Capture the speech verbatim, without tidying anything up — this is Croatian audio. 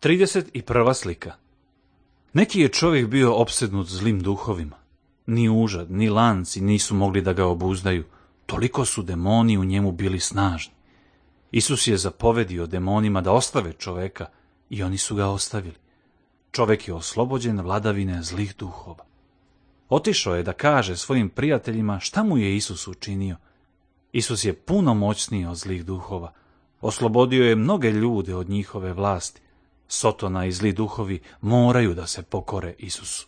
trideset prva slika. Neki je čovjek bio opsednut zlim duhovima. Ni užad, ni lanci nisu mogli da ga obuzdaju, toliko su demoni u njemu bili snažni. Isus je zapovedio demonima da ostave čoveka i oni su ga ostavili. Čovek je oslobođen vladavine zlih duhova. Otišao je da kaže svojim prijateljima šta mu je Isus učinio. Isus je puno moćniji od zlih duhova. Oslobodio je mnoge ljude od njihove vlasti. Sotona i zli duhovi moraju da se pokore Isusu.